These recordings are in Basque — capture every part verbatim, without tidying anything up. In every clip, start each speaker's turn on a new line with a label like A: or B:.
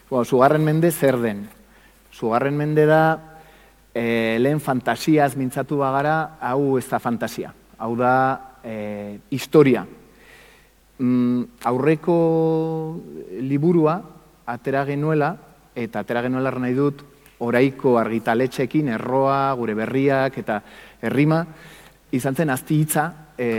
A: Bueno, Sugarren mende zer den? Sugarren mende da, e, lehen fantasiaz mintzatu bagara, hau ez da fantasia. Hau da e, historia. Mm, aurreko liburua atera genuela, eta atera genuela nahi dut, oraiko argitaletxekin, erroa, gure berriak eta errima, izan zen azti hitza e,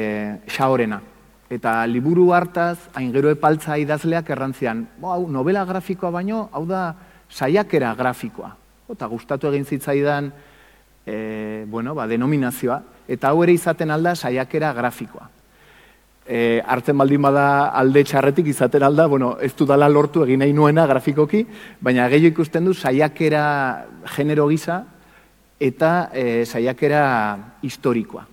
A: xaorena. Eta liburu hartaz, hain gero epaltza idazleak errantzian, hau novela grafikoa baino, hau da saiakera grafikoa. Eta gustatu egin zitzaidan e, bueno, ba, denominazioa, eta hau ere izaten alda saiakera grafikoa. E, hartzen baldin bada alde txarretik izaten alda, bueno, ez dudala lortu egin nahi nuena grafikoki, baina gehiago ikusten du saiakera genero gisa eta e, saiakera historikoa.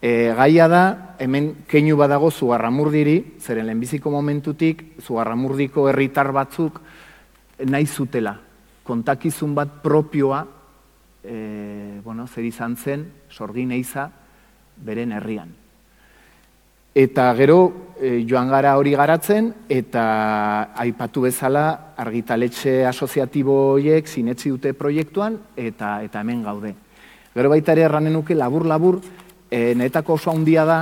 A: E, gaia da, hemen keinu badago Zugarramurdiri, zeren lehenbiziko momentutik Zugarramurdiko herritar batzuk nahi zutela. Kontakizun bat propioa, e, bueno, zer izan zen, Sorgin Eiza, beren herrian. Eta gero e, joan gara hori garatzen, eta aipatu bezala argitaletxe asoziatibo horiek sinetsi dute proiektuan, eta, eta hemen gaude. Gero baita ere erranen nuke labur-labur, E, netako oso handia da,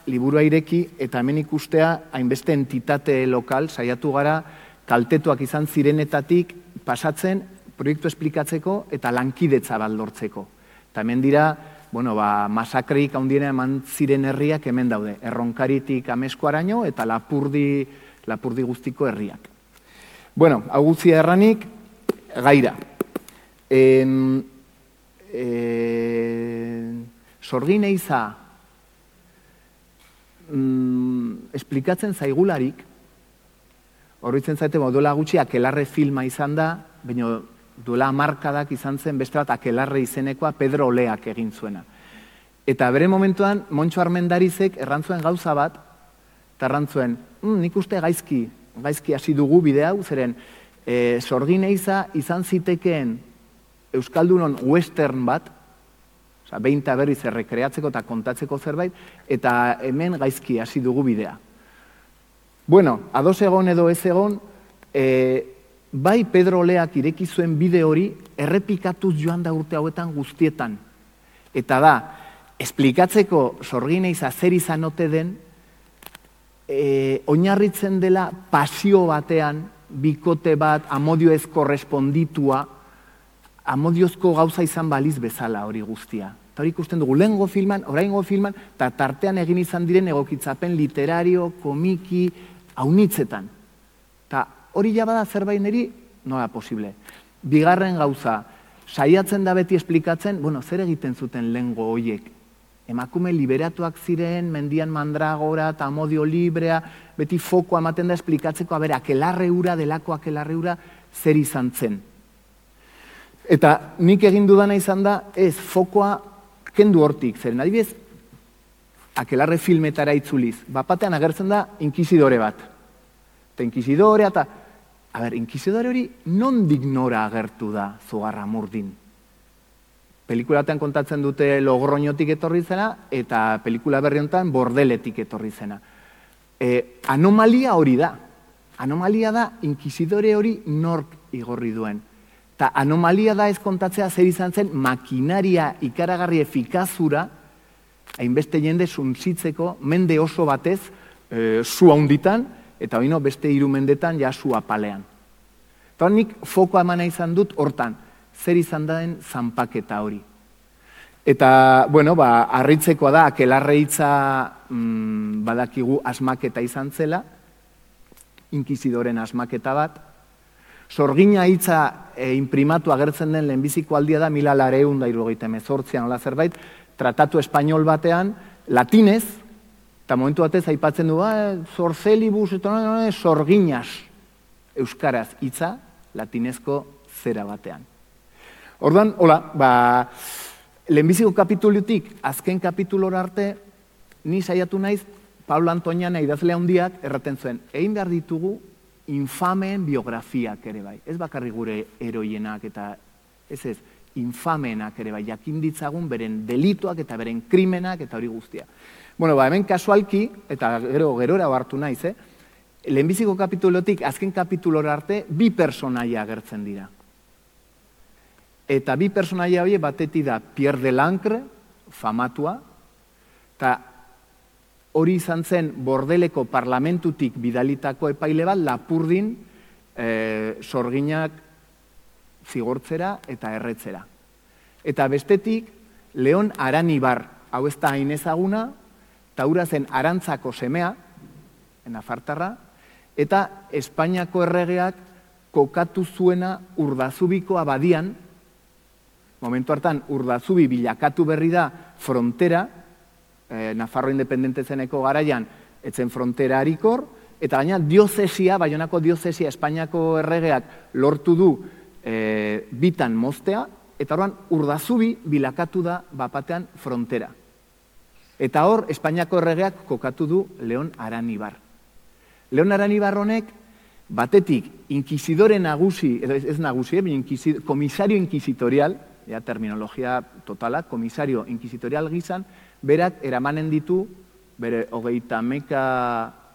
A: liburua ireki, eta hemen ikustea hainbeste entitate lokal, saiatu gara, kaltetuak izan zirenetatik pasatzen, proiektu esplikatzeko eta lankidetza bat lortzeko. Eta hemen dira, bueno, ba, masakrik handiena eman ziren herriak hemen daude, Erronkaritik Ameskoaraino eta Lapurdi, Lapurdi guztiko herriak. Bueno, hau guztia erranik, gaira. En, en, Sorgin Eiza mm, esplikatzen zaigularik, horretzen zaite, duela gutxi Akelarre filma izan da, baina duela hamarkadak izan zen beste bat Akelarre izenekoa Pedro Oleak egin zuena. Eta bere momentuan, Montxo Armendarizek errantzuen gauza bat, eta errantzuen, mm, nik uste gaizki, gaizki hasi dugu bide hau, zeren e, Sorgin Eiza izan zitekeen Euskaldunon western bat, Osa, behinta berriz errekreatzeko eta kontatzeko zerbait, eta hemen gaizki hasi dugu bidea. Bueno, ados egon edo ez egon, e, bai Pedro Oleak ireki zuen bide hori errepikatuz joan da urte hauetan guztietan. Eta da, esplikatzeko Sorgin Eiza zer izan ote den, e, oinarritzen dela pasio batean, bikote bat, amodioez korresponditua, amodiozko gauza izan baliz bezala hori guztia. Eta hori ikusten dugu, lehengo filman, oraingo filman, eta tartean egin izan diren egokitzapen literario, komiki, haunitzetan. Eta hori jabada zerbait niri, nola posible. Bigarren gauza, saiatzen da beti esplikatzen, bueno, zer egiten zuten lehengo hoiek. Emakume liberatuak ziren, mendian mandragora eta amodio librea, beti fokoa ematen da esplikatzeko, a ber, Akelarre ura, delako Akelarre ura, zer izan zen. Eta nik egin dudana izan da, ez, fokoa kendu hortik, zeren adibidez, Akelarre filmetara itzuliz, bapatean agertzen da inkizidore bat. Eta inkizidore, eta, a ber, inkizidore hori nondik nora agertu da Zugarramurdin. Pelikulatean kontatzen dute Logroñotik etorri zena, eta pelikula berri honetan Bordeletik etorri zena. E, anomalia hori da. Anomalia da, inkizidore hori nork igorri duen. Eta anomalia da ez kontatzea zer izan zen makinaria ikaragarri efikazura, hainbeste jende suntsitzeko, mende oso batez, e, zu handitan, eta oino beste hiru mendetan ja zu apalean. Eta nik fokoa emana izan dut hortan, zer izan den zanpaketa hori. Eta, bueno, ba, harritzekoa da, Akelarre hitza mm, badakigu asmaketa izan zela, inkizidoren asmaketa bat, Sorgina hitza e, imprimatu agertzen den lehenbiziko aldia da mila lareun da hirurogeita hemezortzian ola zerbait, tratatu espainol batean, latinez, eta momentu batez aipatzen du, ah, zorzelibus, eta sorginas, euskaraz hitza, latinezko zera batean. Orduan, hola, ba, lehenbiziko kapitulutik, azken kapitulora arte, ni saiatu naiz, Pablo Antoniana idazle handiak erraten zuen, egin behar ditugu, infameen biografiak ere bai. Ez bakarri gure heroienak eta ez ez, infameenak ere bai. Jakin ditzagun beren delituak eta beren krimenak eta hori guztia. Bueno, ba, hemen kasualki, eta gero gerora hartu naiz, eh? lehenbiziko kapitulotik azken kapitulora arte bi personaia agertzen dira. Eta bi personaia hori batetik da Pierre Delancre, famatua, eta hori izan zen Bordeleko parlamentutik bidalitako epaile bat Lapurdin e, sorginak zigortzera eta erretzera. Eta bestetik, Leon Aranibar, hau ez da hain ezaguna, eta hura zen Arantzako semea, nafartarra, eta Espainiako erregeak kokatu zuena Urdazubiko abadian, momentu hartan Urdazubi bilakatu berri da frontera, eh, Nafarro independente zeneko garaian, etzen frontera harikor, eta gaina diozesia, Baionako diozesia Espainiako erregeak lortu du eh, bitan moztea, eta horren Urdazubi bilakatu da bapatean frontera. Eta hor, Espainiako erregeak kokatu du Leon Aranibar. Leon Aranibar honek, batetik, inquisidore nagusi, edo ez nagusi, eh, komisario inquisitorial, ja, terminologia totala, komisario inquisitorial gizan, berak eramanen ditu, bere hogeita hamaika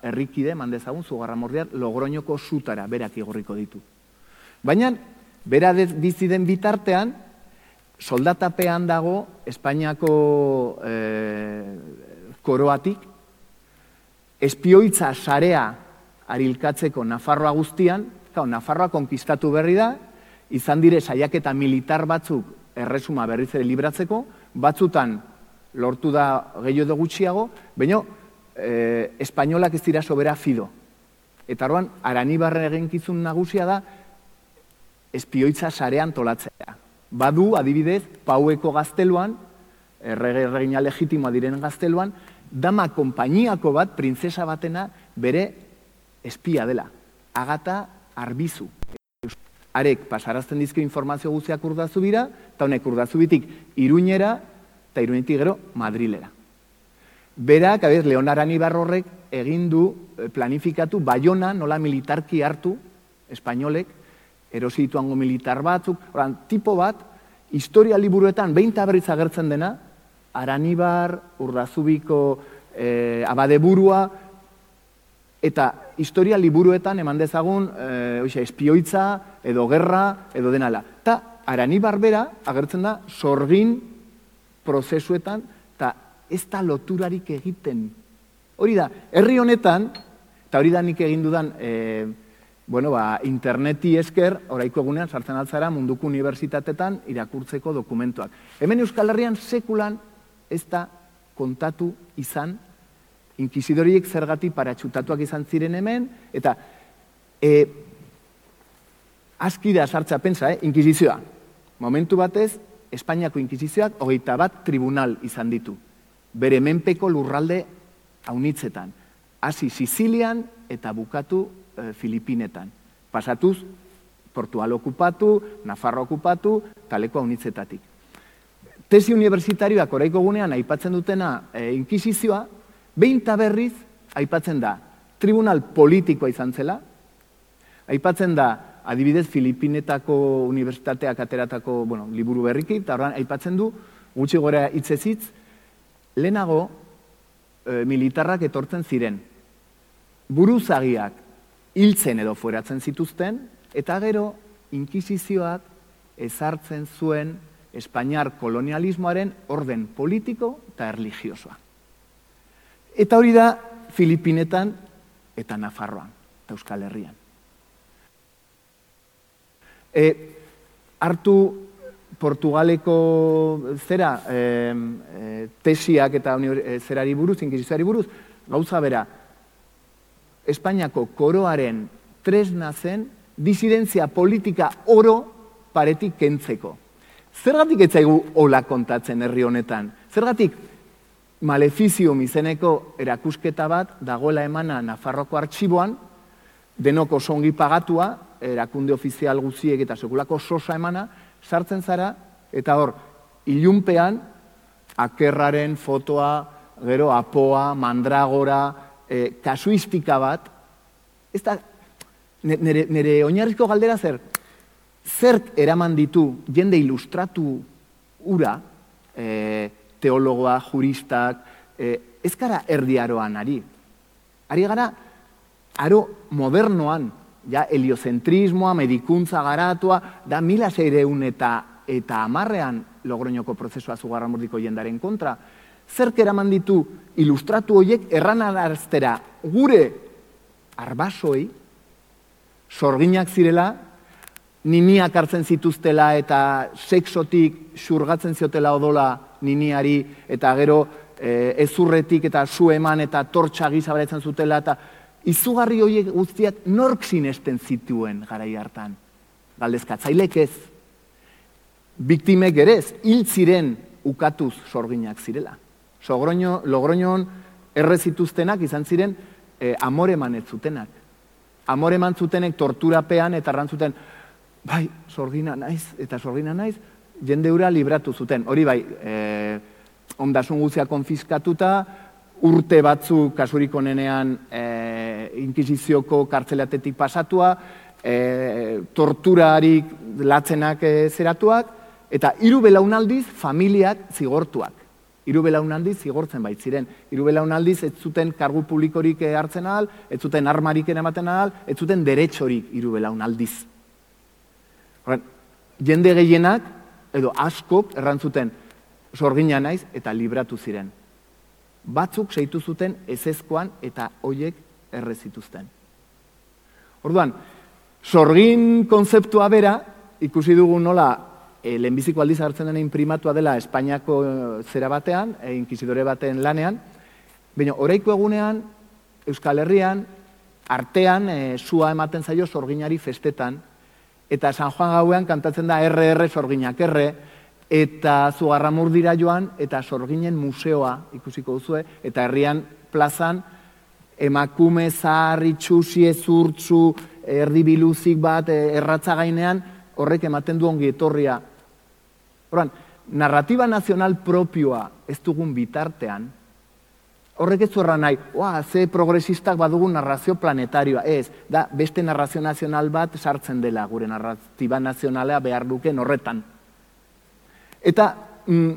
A: herrikide, mandezagun, Zugarramordiar, Logroñoko sutara, berak igorriko ditu. Baina, bera bizi den bitartean, soldatapean dago Espainiako eh, koroatik, espioitza sarea arilkatzeko Nafarroa guztian, kau, Nafarroa konkistatu berri da, izan dire saiaketa militar batzuk erresuma berriz ere libratzeko, batzutan lortu da gehiago gutxiago, baina eh, espainolak ez dira sobera fido. Eta orduan, Aranibarren eginkizun nagusia da, espioitza sarean tolatzea. Badu, adibidez, Paueko gazteluan, errege erregina legitimoa diren gazteluan, dama konpainiako bat, printzesa batena, bere espia dela. Agata Arbizu. Arek pasarazten dizko informazio guztiak Urdazubira, eta honek Urdazubitik Iruñera, eta Iruñetik gero Madrilera. Berak, abez, Leon Aranibar horrek egin du planifikatu Baiona nola militarki hartu, espainolek, erosi dituango militar batzuk, oran, tipo bat, historia liburuetan behin berriz agertzen dena, Aranibar, Urdazubiko eh, abadeburua, eta historia liburuetan eman dezagun eh, oixe, espioitza, edo gerra, edo denala. Eta Aranibar bera agertzen da sorgin prozesuetan, eta ez da loturarik egiten. Hori da, herri honetan, eta hori da nik egin dudan, eh, bueno, ba, interneti esker, oraiko egunean sartzen altzara munduko unibertsitatetan irakurtzeko dokumentuak. Hemen Euskal Herrian sekulan ez da kontatu izan, inkisidoriek zergatik paratxutatuak izan ziren hemen, eta e, aski da sartza pentsa, eh, inkisizioa. Momentu batez, Espainiako inkisizioak hogeita bat tribunal izan ditu. Bere menpeko lurralde haunitzetan. Hasi Sizilian eta bukatu e, Filipinetan. Pasatuz, Portugal okupatu, Nafarro okupatu, taleko haunitzetatik. Tesi unibertsitarioak oraiko gunean aipatzen dutena e, inkisizioa, behin eta berriz aipatzen da tribunal politikoa izan zela, aipatzen da adibidez Filipinetako unibertsitateak ateratako bueno, liburu berriki, eta horren aipatzen du gutxi gora hitzezitz, lehenago e, militarrak etortzen ziren, buruzagiak hiltzen edo fueratzen zituzten, eta gero inkisizioak ezartzen zuen Espainiar kolonialismoaren orden politiko eta erligiosoa. Eta hori da Filipinetan eta Nafarroan, eta Euskal Herrian. E, hartu Portugaleko zera, e, e, tesiak eta e, zerari buruz, inkisizioari buruz, gauza bera, Espainiako koroaren tresna zen disidentzia politika oro paretik kentzeko. Zergatik ez zaigu hola kontatzen herri honetan? Zergatik Maleficium izeneko erakusketa bat dagoela emana Nafarroko artxiboan, denoko songi pagatua, erakunde ofizial guziek eta sekulako sosa emana, sartzen zara, eta hor, ilunpean, akerraren fotoa, gero apoa, mandragora, eh, kasuistika bat, ez da, nire, nire oinarrizko galdera zer, zerk eraman ditu jende ilustratu ura, eh, teologoa, juristak, eh, ez gara erdiaroan ari. Ari gara aro modernoan, ja, heliozentrismoa, medikuntza garatua, da mila seireun eta eta hamarrean Logroñoko prozesua Zugarramurdiko jendaren kontra. Zerk eraman ditu ilustratu horiek erranaraztera gure arbasoi, sorginak zirela, niniak hartzen zituztela eta sexotik xurgatzen ziotela odola niniari, eta gero e, ezurretik eta su eman eta tortxa gisa beratzen zutela, eta izugarri horiek guztiak nork sinesten zituen garai hartan. Galdezkatzailek ez. Biktimek ere ez, hil ziren ukatuz sorginak zirela. Sogroño, Logroñon erre zituztenak izan ziren e, amoreman ez zutenak. Amoreman zutenek torturapean eta errantzuten, bai, sorgina naiz, eta sorgina naiz, jende hura libratu zuten. Hori bai, e, ondasun guztia konfiskatuta, urte batzu kasurik onenean e, inkisizioko kartzelatetik pasatua, e, torturarik latzenak e, zeratuak, eta hiru belaunaldiz familiak zigortuak. Hiru belaunaldiz zigortzen baitziren. Hiru belaunaldiz ez zuten kargu publikorik hartzen ahal, ez zuten armarik ematen ahal, ez zuten deretxorik hiru belaunaldiz. Horren, jende gehienak, edo askok errantzuten sorgina naiz eta libratu ziren. Batzuk seitu zuten ezezkoan eta hoiek erre zituzten. Orduan, sorgin konzeptua bera, ikusi dugu nola E, lehenbiziko aldiz hartzen dena imprimatua dela Espainiako zera batean, e, inkizidore baten lanean, baina oraiko egunean, Euskal Herrian, artean, e, sua ematen zaio sorginari festetan, eta San Juan gauean kantatzen da erre erre sorginak erre, eta Zugarramurdira joan, eta sorginen museoa ikusiko duzue, eta herrian plazan, emakume, zahar, itxusi, ezurtzu, erdibiluzik bat, erratza gainean, horrek ematen du ongi etorria. Horan, narratiba nazional propioa ez dugun bitartean, horrek ez zuerra nahi, oa, ze progresistak badugun narrazio planetarioa, ez, da, beste narrazio nazional bat sartzen dela gure narratiba nazionalea behar duken horretan. Eta mm,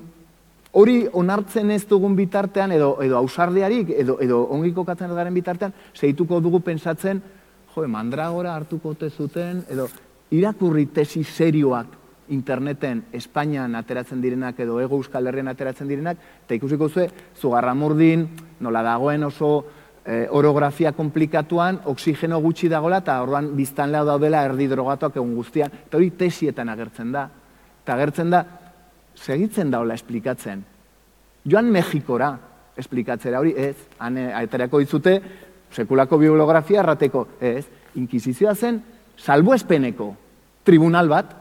A: hori onartzen ez dugun bitartean, edo, edo ausardiarik, edo, edo ongi kokatzen ez garen bitartean, segituko dugu pensatzen, jo, mandragora hartuko ote zuten, edo irakurri tesi serioak interneten Espainian ateratzen direnak edo Hego Euskal Herrian ateratzen direnak, eta ikusiko zuen, Zugarramurdin, nola dagoen oso e, orografia komplikatuan, oksigeno gutxi dagoela, eta orduan biztanlea daudela erdi drogatuak egun guztian, eta hori tesietan agertzen da. Eta agertzen da, segitzen daola esplikatzen. Joan Mexikora esplikatzera hori, ez, han aterako ditzute, sekulako bibliografia errateko, ez, inkisizioa zen, salbuespeneko tribunal bat,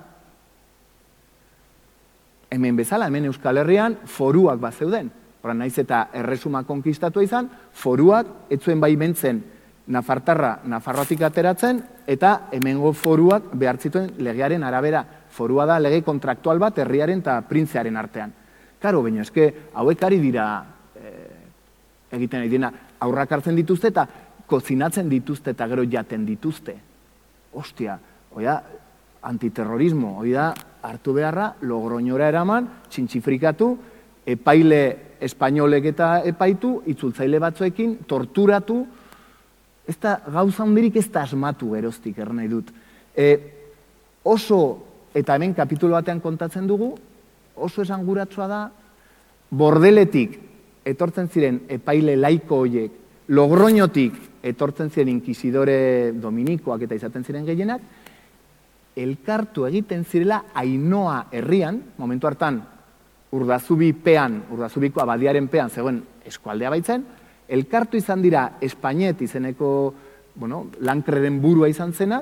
A: hemen bezala, hemen Euskal Herrian, foruak bat zeuden. Horra, naiz eta erresuma konkistatua izan, foruak etzuen baimentzen Nafartarra Nafarroatik ateratzen, eta hemengo foruak behartzituen legearen arabera. Forua da lege kontraktual bat herriaren eta printzearen artean. Karo, baina eske, hauek ari dira eh, egiten ari dira, aurrak hartzen dituzte eta kozinatzen dituzte eta gero jaten dituzte. Ostia, oia, antiterrorismo, hori da, hartu beharra, Logroñora eraman, txintxifrikatu, epaile espainolek eta epaitu, itzultzaile batzuekin, torturatu, ez da, gauza hundirik ez da asmatu geroztik, er nahi dut. E, oso, eta hemen kapitulo batean kontatzen dugu, oso esanguratsua da, bordeletik etortzen ziren epaile laiko horiek, Logroñotik etortzen ziren inkisidore dominikoak eta izaten ziren gehienak, elkartu egiten zirela Ainoa herrian, momentu hartan Urdazubi pean, Urdazubiko abadiaren pean zegoen eskualdea baitzen, elkartu izan dira Espainet izeneko, bueno, lankreren burua izan zena,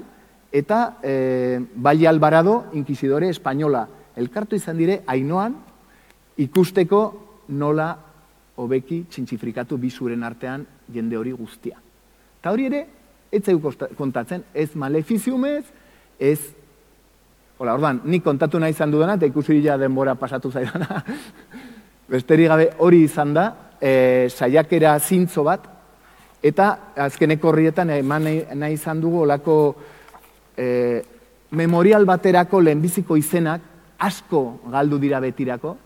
A: eta e, Valle Alvarado inkisidore espainola. Elkartu izan dire Ainoan ikusteko nola hobeki txintxifrikatu bizuren artean jende hori guztia. Eta hori ere, ez zeu kontatzen, ez malefiziumez, ez... Hola, ordan, nik kontatu nahi izan dudana, eta ikusi ja denbora pasatu zaidana. Besterik gabe hori izan da, e, saiakera zintzo bat, eta azkeneko horrietan eman nahi, nahi izan dugu olako e, memorial baterako lehenbiziko izenak asko galdu dira betirako,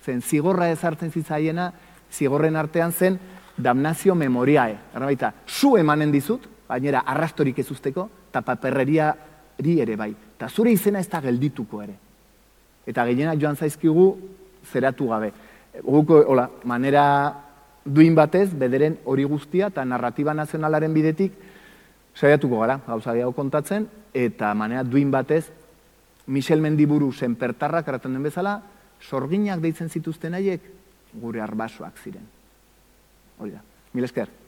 A: zen zigorra ezartzen zitzaiena, zigorren artean zen damnazio memoriae. Erra baita, zu emanen dizut, bainera arrastorik ez usteko, eta paperreriari ere bai. Eta zure izena ez da geldituko ere. Eta gehienak joan zaizkigu zeratu gabe. Guko, hola, manera duin batez, bederen hori guztia, eta narratiba nazionalaren bidetik, saiatuko gara, gauza gehiago kontatzen, eta manera duin batez, Michel Mendiburu senpertarrak erraten den bezala, sorginak deitzen zituzten haiek, gure arbasoak ziren. Hori da. Mil esker.